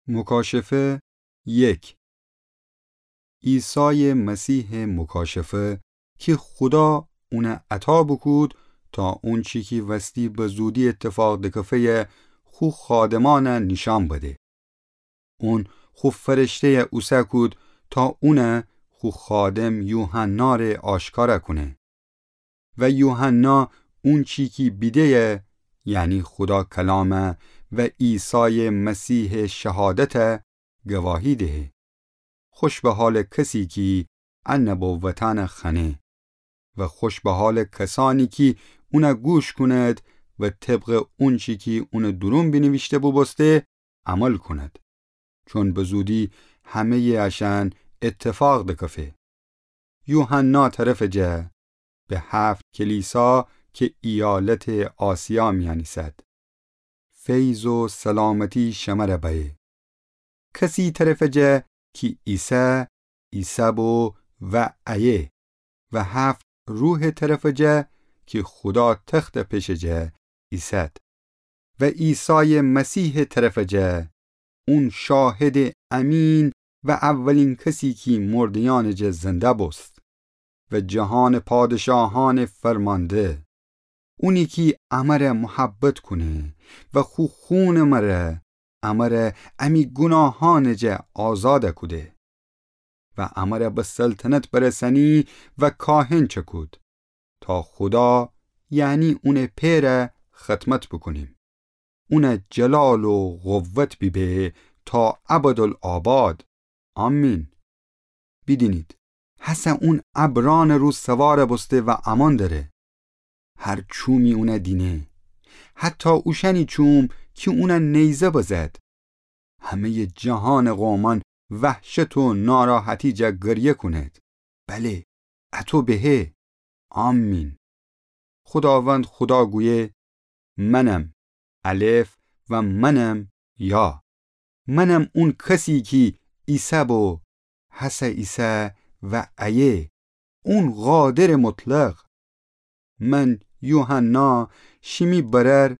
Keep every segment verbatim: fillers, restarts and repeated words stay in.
مکاشفه یک. عیسای مسیح مکاشفه کی خودا اونه عطا بوکود تا اونچی کی وستی بزودی اتفاق دکفه‌یه خو خادمانه نیشأن بده. اون خو فرشته‌یه اوسه کود تا اونه خو خادم یوحنا ره آشکارا کونه. و یوحنا اونچی کی بیده‌یه، یعنی خودا کلامه و عیسای مسیح شهادته گواهی دهه. خوش به حال کسی کی ا نبوتانه خأنه و خوش به حال کسانی کی اونه گوش کونید و طبق اونچی کی اونه دورون بینیویشته بوبوسته عمل کونید. چون بزودی همه‌یٚ اشأن اتفاق دکفه. یوحنا طرفٚ جا به هفت کلیسا کی ایالتٚ آسیا میأن ایسد، فیض و سلامتی شمره بأیه. کسی طرفٚ جا کی ایسه، ایسه بو و ایه و هفت روحٚ طرفٚ جا کی خودا تختٚ پشٚ جا ایسد و عیسای مسیحٚ طرفٚ جا، اون شاهدٚ امین و اولین کسی کی مرده‌یأنٚ جا زنده بوست و جهانٚ پادشاهأنٚ فرمانده. اونی کی امره محبت کونه و خو خونٚ مره امره امی گوناهأنٚ جا آزاد کوده و امره به سلطنت برسنی و کاهن چکود تا خودا، یعنی اونٚ پئره خدمت بوکونیم. اونه جلال و قوت بیبه تا ابدالآباد. آمین. بیدینید، هسه اون ابرأنٚ رو سوار بوسته و امان دره. هر چومی اونه دینه، حتی اوشأنی چوم کی اونه نیزه بزد. همه‌یٚ جهانٚ قومأن وحشت و ناراحتی جا گریه کونید. بله، اطو بهه. آمین. خوداوند خودا گویه، منم الف و منم یا. منم اون کسی کی ایسه بو، هسه ایسه و ایه، اون قادرٚ مطلق. من یوحنا، شیمی برأر،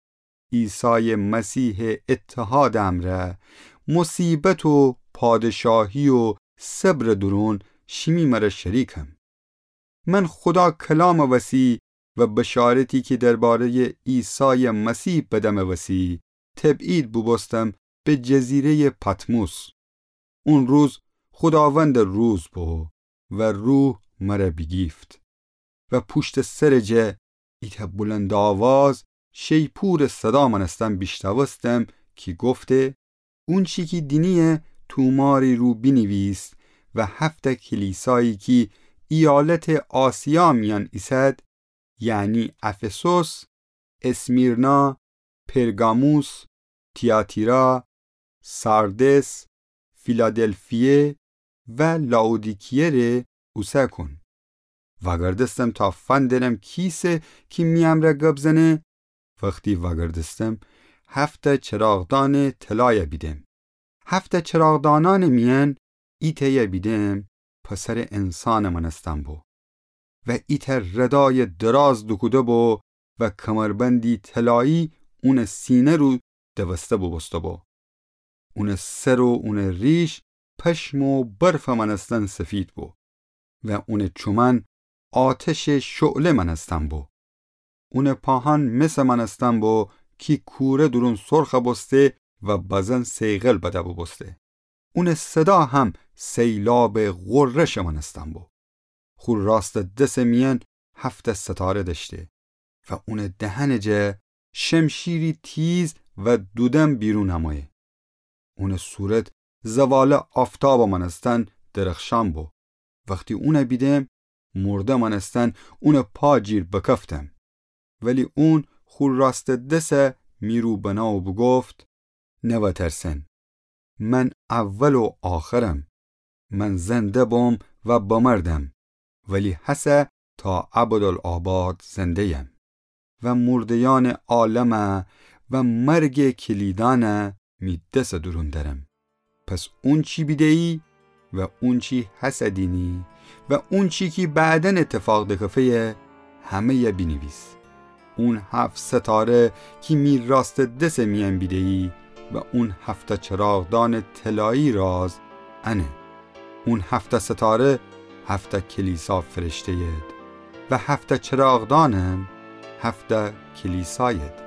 عیسای مسیحٚ اتحادٚ امرأ، مصیبت و پادشاهی و صبرٚ دورون شیمی مره شریکم. من خودا کلامٚ وسی و بشارتی کی درباره‌یٚ عیسای مسیح بدمٚ وسی تبعید بوبوستم به جزیره‌یٚ پطموس. اون روز خوداوندٚ روز بو و روح مره بیگیفت و پوشتٚ سرٚ جا ایتأ بلندآواز شیپورٚ صدا مأنستن بیشنوستم کی گفته، اونچی کی دینی‌یه توماری رو بینیویس و هفتأ کلیسایی کی ایالتٚ آسیا میأن ایسد، یعنی افسوس، اسمیرنا، پرگاموس، تیاتیرا، ساردس، فیلادلفیه و لائودیکیه ره اوسه کون. وأگردستم تا فندرم کیسه کی می امرأ گب زنه. وختی وأگردستم، هفتأ چراغدأنٚ طلایه بیدم. هفتأ چراغدأنأنٚ میأن ایتأیه بیدم پسرٚ انسانٚ مأنستن بو و ایتأ ردایٚ دراز دوکوده بو و کمربندی طلایی اونٚ سینه رو دوسته بوبوسته بو. اونٚ سر و اونٚ ریش پشم و برفٚ مأنستن سفید بو و اونٚ چومأن آتشٚ شعله مأنستن بو. اونٚ پاهأن مسٚ مأنستن بو کی کوره دورون سرخه بوسته و بزن صیقل بده بوبوسته. اونٚ صدا هم سیلابٚ غرشٚ مأنستن بو. خو راستٚ دسٚ میأن هفتأ ستاره دأشته و اونٚ دهنٚ جا شمشیری تیز و دودم بیرون امویه. اونٚ صورت زوالٚ آفتابٚ مأنستن درخشان بو. وختی اونه بیدم، مرده مأنستن اونٚ پا جیر بکفتم. ولی اون خو راستٚ دسه می رو بنه و بوگفت: نوأترسن، من اول و آخرم. من زنده بوم و بمردم، ولی هسه تا ابدالآباد زنده‌یم و مرده‌یأنٚ عالمه و مرگٚ کلیدأنه می دسٚ دورون دأرم. پس اونچی بیده‌یی و اونچی هسه دینی و اونچی کی بعداً اتفاق دکفه‌یه، همه‌یه بینیویس. اون هفت ستاره کی می راستٚ دسٚ میأن بیده‌یی، و اون هفته چراغدانٚ طلایی راز انه. اون هفته ستاره هفته کلیسا فرشته‌ید و هفته چراغدانم هفته کلیساید.